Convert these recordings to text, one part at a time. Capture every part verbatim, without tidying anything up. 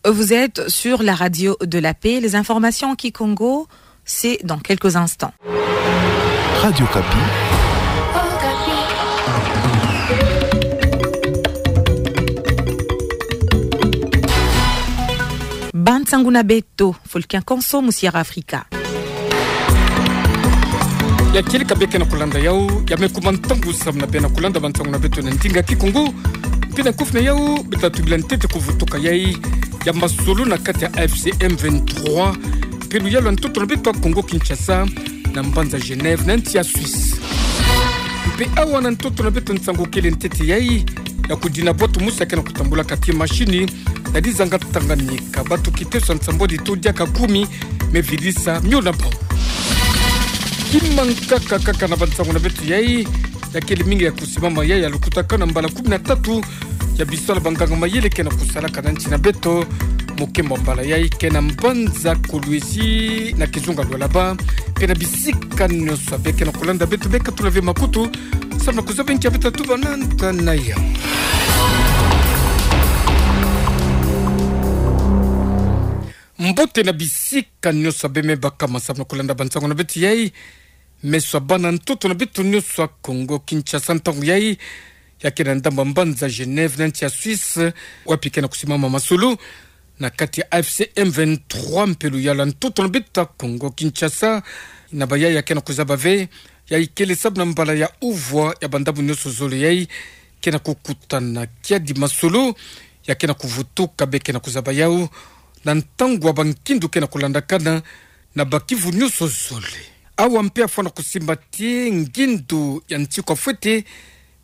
Vous êtes sur la radio de la paix. Les informations en kikongo, c'est dans quelques instants. Radio Okapi. Ba nsangu na beto, fulu kia nkonso mu Sierra Africa. Ya kieleka bê ke na kulanda yau, ya me kuma ntangu samu na bê na kulanda ba nsangu na beto na ndinga kikongo. Mpe na kufina yau, beta tubila ntete kuvutuka yai ya masolo na kati ya A F C M vingt-trois, mpelo ya lwa ntoto na beto ya Congo Kinshasa, na mbanza Genève, na nsi ya Suisse. Mpe awa na ntoto na beto nsangu kele ntete yai, ya kudina bwatu mosi ya ke na kutambula kati mashini, na dizanga Tanganyika, batu kiteso ya nsambwadi to diaka kumi, me vilisa mio na bau. Kima nkaka kaka na ba nsangu na beto yai, ya kele mingi ya kusimama yai ya lukutakanu na mbala kumi na tatu, ya bisala ba nganga-mayele ke na kusalaka na nsi na beto, mokembo mbala yai ke na mbanza Kolwezi na kizunga Lualaba, mpe na bisika nyonso bê ke na kulanda beto bê katula ve makutu, samu na kuzaba nki ya beta tuba na nta na yau. Mbote na bisika nyonso bê me bakama samu na kulanda ba nsangu na beto yai, meso ya bana ntoto na beto nyonso ya Congo Kinshasa ntangu yai, ya ke na ndambu ya mbanza Genève na nsi ya Suisse, wapi ke na kusimama masolo na kati ya A F C M vingt-trois, mpelo ya lwa ntoto na beto ya Congo Kinshasa, na ba yai ya ke na kuzaba ve, yai kele samu na mbala ya uvwa ya ba ndambu nyonso zole yai ke na kukutana kiadi masolo, ya ke na kuvutuka bê ke na kuzaba yau, na ntangu ya ba nkindu ke na kulandakana, na ba kivu nyonso zole. Awa mpe afwana kusimba ti ngindu ya nsi kwa fwete,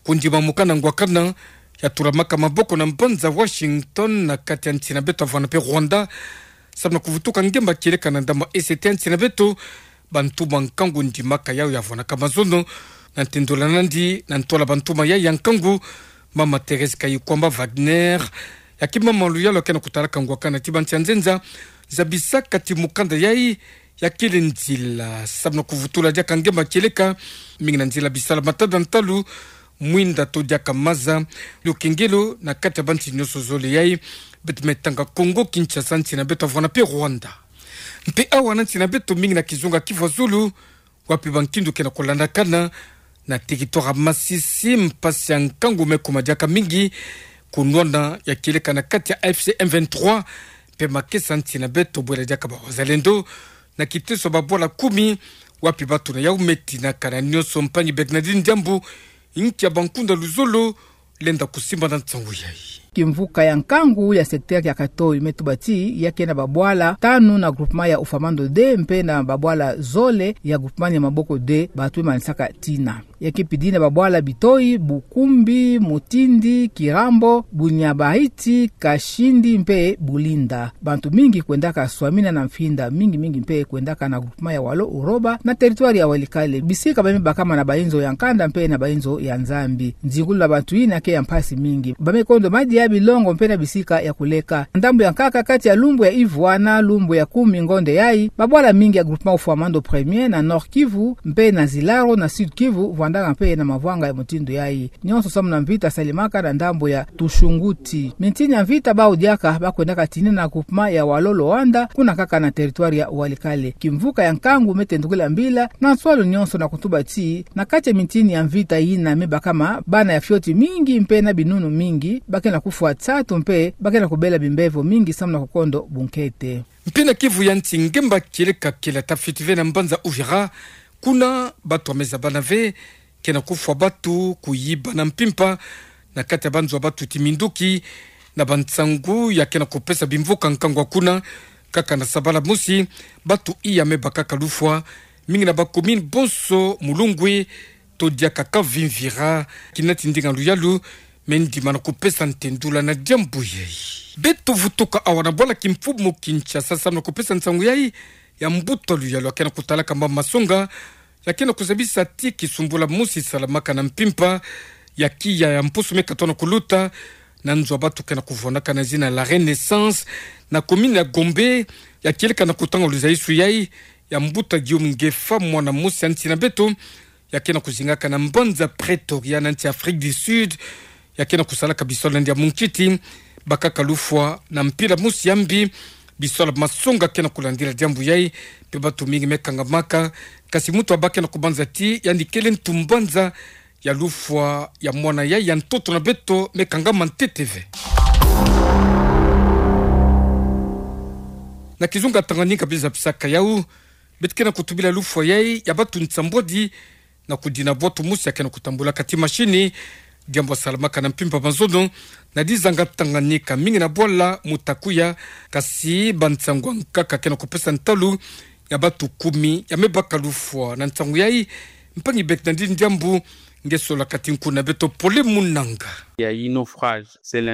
kundima mokanda ngwakana, ya tulamaka maboko na mbanza Washington, na kati ya nsi na beto ya vwana mpe Rwanda, samu na kuvutuka ngemba kieleka na ndambu ya E C T ya nsi na beto, ba ntuma nkangu ndimaka yau ya vwanaka mazono, na ntendula nandi, na ntwala ba ntuma yai ya nkangu, Mama Thérèse Kayikwamba Wagner, ya ki mama luyalu ya ke na kutalaka ngwakana ti ba nsi ya nzenza, zabisaka ti mokanda yai, ya kele nzila samu na kuvutula diaka ngemba kieleka, mingi na nzila bisala matanda ntalu, mwinda to diaka maza, lukengelo na kati ya ba nsi nyonso zole yai, beto me tanga Congo Kinshasa, nsi na beto ya vwana mpe Rwanda. Mpe awa na nsi na beto mingi na kizunga Kivu ya zulu, wapi ba nkindu ke na kulandakana, na territoire ya Masisi, mpasi ya nkangu me kuma diaka mingi, kunwana ya kieleka na kati ya A F C M vingt-trois, mpe makesa nsi na beto bwela diaka ba wazalendo, na kiteso ya ba bwala kumi, wapi batu na yau me tinakana nyonso. Mpangi Bernardine Diambu, inki ya ba nkunda luzolo lenda kusimba na nsangu yai. Kimvuka ya nkangu ya secteur ya Katoyi me tuba ti ya ke na ba bwala tanu na groupement ya Ufamando deux, mpe na ba bwala zole ya groupement ya Maboko deux, batu me manisaka tina. Ya ke pidi na ba bwala Bitoyi, Bukumbi, Mutindi, Kirambo, Bunyabayiti, Kashindi mpe Bulinda. Bantu mingi kwendaka swamina na mfinda, mingi mingi mpe kwendaka na groupement ya Walo Uroba, na territoire ya Walikale. Bisika ba me bakama na ba inzo ya nkanda mpe na ba inzo ya Nzambi. Nzingulu na bantu yina ke ya mpasi mingi. Ba me kondo madia, bilongo mpe na bisika ya kuleka. Ndambu ya nkaka kati ya lumbu ya ivwa na lumbu ya kumi ngonde yai, ba bwala mingi ya groupement Ufamando premier na Nord-Kivu, mpe na Zilaro na Sud-Kivu, vwandaka mpe na mavwanga ya mutindu yai. Nyonso samu na mvita salemaka na ndambu ya Tushunguti. Mintini ya mvita bau diaka ba kwendaka tinina na groupement ya Walo Loanda, kuna kaka na territoire ya Walikale. Kimvuka ya nkangu me tendukila mbila na nswalu nyonso na kutuba ti, na kati ya mintini ya mvita yina me bakama, bana ya fioti mingi mpe na binunu mingi ba ke na kufwa nsatu mpe ba ke na kubela bimbevo mingi samu na kukondo bunkete. Mpe na Kivu ya nsi, ngemba kieleka kele ata fioti ve na mbanza Uvira, kuna batu ya me zabana ve ke na kufwa batu, kuyiba na mpimpa, na kati ya ba nzo ya batu ti minduki, na ba nsangu ya ke na kupesa bimvuka nkangu kuna, kaka na sabala mosi, batu iya me bakaka lufwa, mingi na ba commune bonso, Mulungwe, to diaka Kavimvira, kina ti ndinga luyalu me ndima na kupesa ntendula na diambu yai. Beto vutuka awa na bwala kimfumu Kinshasa samu na kupesa nsangu yai ya mbuta luyalu ya ke na kutalaka mama masonga, ya ke na kuzabisa ti kisumbula mosi salamaka na mpimpa, ya kiya ya mpusu me katona kuluta, na nzo ya batu ke na kuvwandaka na zina La Renaissance, na commune ya Gombe, ya kieleka na kutanga luzayisu yai ya mbuta Guillaume Ngefa, mwana mosi ya nsi na beto, ya ke na kuzingaka na mbanza Pretoria na nsi Afrique du Sud, ya ke na kusalaka bisalu na ndia munkiti, Bakaka lufwa na mpila mosi ya mbi, bisalu ba masonga ke na kulandila diambu yai, mpe batu mingi me kangamaka, kasi muntu abake na kubanza ti, yandi kele ntu mbanza ya lufwa ya mwana yai ya ntoto na beto me kangama ntete ve. Na kizunga Tanganyika bizapisaka yau, beto ke na kutubila lufwa yai ya batu nsambwadi, na kudina bwatu mosi ya ke na kutambulaka ti mashini, diambu salamaka na mpimpa mazono, na dizanga Tanganyika mingi na bwala muta kuya, kasi bansangu ya nkaka ke na kupesa ntalu ya batu kumi ya me baka lufwa na nsangu yai, mpangi bek na dini diambu, nge sola kati nku na beto Pole Munanga.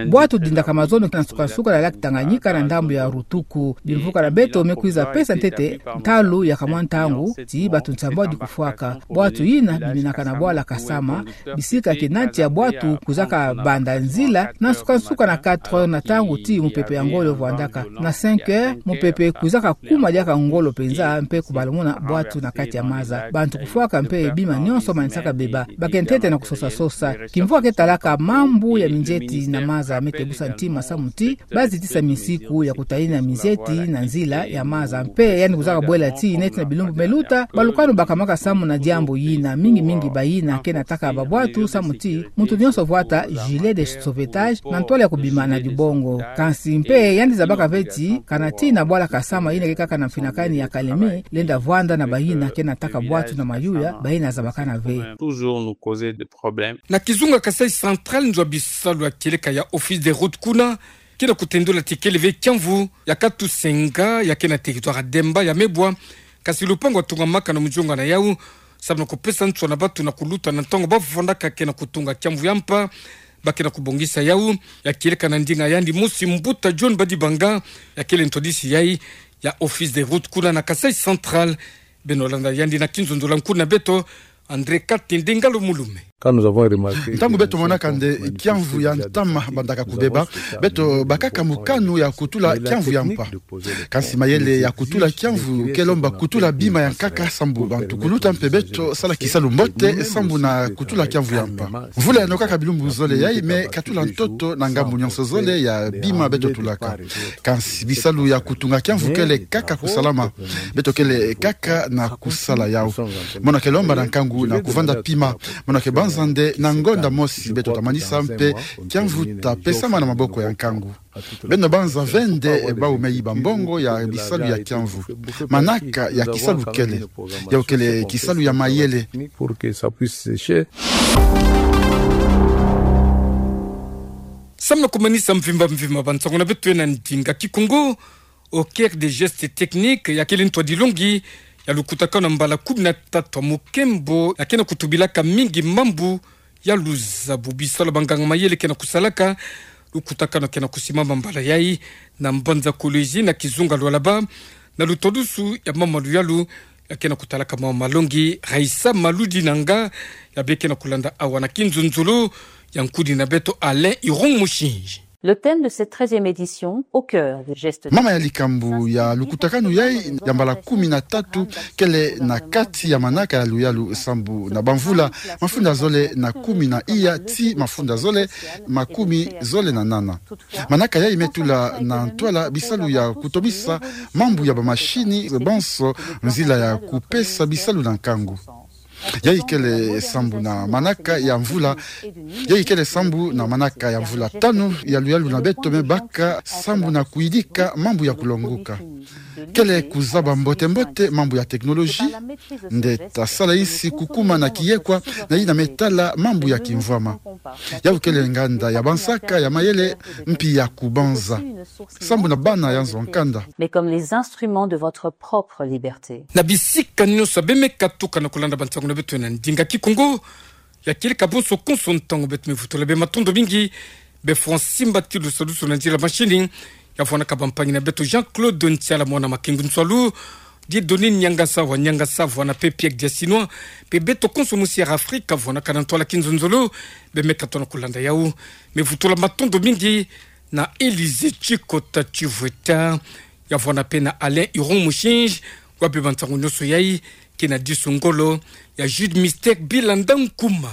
Bwatu dindaka mazono na nsukansuka na lac Tanganyika na ndambu ya Rutuku. Bimvuka na beto me kwiza pesa ntete ntalu ya kamwa ntangu ti batu nsambwadi kufwaka. Bwatu yina biminaka na bwala Kasama, bisika kina tia bwatu kwizaka banda nzila na nsukansuka na quatre heures na ntangu ti mupepe ya ngolo vwandaka. Na cinq heures, mupepe kwizaka kuma diaka ngolo penza mpe kubalumuna bwatu na kati ya maza. Bantu kufwaka mpe bima nionso manisaka beba. Ba ke ntete na kusosasosa. Kimvuka ke talaka mambu ya minzeti na maza me tebusa ntima samu ti bazitisa misiku ya kutalina minzeti na nzila ya maza. Mpe yandi kwizaka bwela ti neti na bilumbu me luta, balukanu bakamaka samu na diambu yina, mingi mingi bayina ke na taka babwatu samu ti muntu nionso vwata gilet de sauvetage na ntwala ya kubima na dibongo. Kansi mpe yandi zabaka ve ti, kana tii na bwala Kasama yina ke kaka na mfinakani ya Kalemi, lenda vwanda na bayina ke na taka bwatu na mayuya, bayina zabakana ve. Toujours nous causer des problèmes. Na kizunga Kasaï Central, nzo ya bisalu ya kieleka ya Office des Routes kuna ke na kutendula ti kele ve kiamvu ya Katusenga, ya ke na territoire ya Demba, ya mebwa, kasi lupangu ya tungamaka na muzonga na yau, samu na kupesa nswa na batu na kuluta na ntangu ba vwandaka ke na kutunga kiamvu ya mpa. Ba ke na kubongisa yau ya kieleka na ndinga yandi mosi, Mbuta John Badibanga, ya kele ntwadisi yai ya Office des Routes kuna na Kasaï Central. Beno landa yandi na kinzonzolo ya nku na beto, André Katende Ngalo Mulume. Quand nous avons remarqué... Ntangu beto monaka nde kiamvu ya ntama bandaka kubeba, beto bakaka mokano ya kutula kiamvu ya mpa. Kansi mayele ya kutula kiamvu ke lomba kutula bima ya nkaka sambu bantu kuluta mpe beto sala kisalu mbote sambu na kutula kiamvu ya mpa. Mvula yanokaka bilumbu zole yai me katula ntoto na ngambu nionso zole ya bima beto tulaka. Kansi bisalu ya kutunga kiamvu kele kaka kusalama. Beto kele kaka na kusala yau. Mono ke lomba na nkangu na kuvanda pima. Mono ke banza nde na ngonda mosi beto ta manisa mpe kiamvu ta pesama na maboko ya nkangu. Beno banza ve nde bau me yiba mbongo ya bisalu ya kiamvu. Manaka ya kisalu kele. Yau kele kisalu ya mayele. Pour que ça puisse sécher. Samu na kumanisa mvimba mvimba bansangu na beto na ndinga Kikongo, Au cœur des gestes techniques, ya kele ntwadilongi ya lukutakanu ya mbala kumi na tatu ya mukembo, ya ke na kutubilaka mingi mambu ya luzabu. Bisalu ya banganga mayele ke na kusalaka lukutakanu ke na kusimama mbala yai na mbanza Kolwezi na kizunga Lualaba, na lutwadusu ya mama luyalu ya ke na kutalaka mama malongi, Raissa Maludinanga, ya bê ke na kulanda awa na kinzonzolo ya nkudi na beto Alain Iron Mushinji. Le thème de cette treizième édition, au cœur des gestes... Mama ya likambu ya lukutakanu yai ya mbala kumi na tatu kele na kati ya manaka ya luyalu sambu na bamvula mafunda zole na kumi na iya ti mafunda zole makumi zole na nana. Manaka yai me tula na ntwala bisalu ya kutobisa mambu ya bamashini banso, nzila ya kupesa bisalu na nkangu. Yai kele sambu na manaka ya mvula, yai kele sambu na manaka ya mvula tanu ya luyalu na beto me baka sambu na kuyidika mambu ya kulonguka. Kele kuzaba mbote-mbote mambu ya teknoloji, nde ta sala insi kukuma na kiyekwa na yina me tala mambu ya kimvwama. Yau kele nganda ya bansaka ya mayele mpi ya kubanza. Sambu na bana ya nzo-nkanda. Mais comme les instruments de votre propre liberté. Na bisika nionso bê me katuka na kulanda bansangu na beto na ndinga Kikongo, ya kieleka bonso konso ntangu beto me vutula bê matondo mingi, bê fwa nsimba ti lusadusu na nzila mashini, ya vwanaka bampangi na beto Jean-Claude Ntiala mwana Makengu Nsualu, Dieudonné Niangasa wa Niangasa, vwana pe Pierre Diasinois, pe beto konso mu Sierra Africa, vwanaka na ntwala kinzonzolo, bê me katuka na kulanda yau, me vutula matondo mingi na Élysée Tchikota Tchivweta, ya vwana pe na Alain Iron Mushinji, wa bê bansangu nionso yai, ke na disu ngolo ya Jude Mystère Bilanda Nkouma.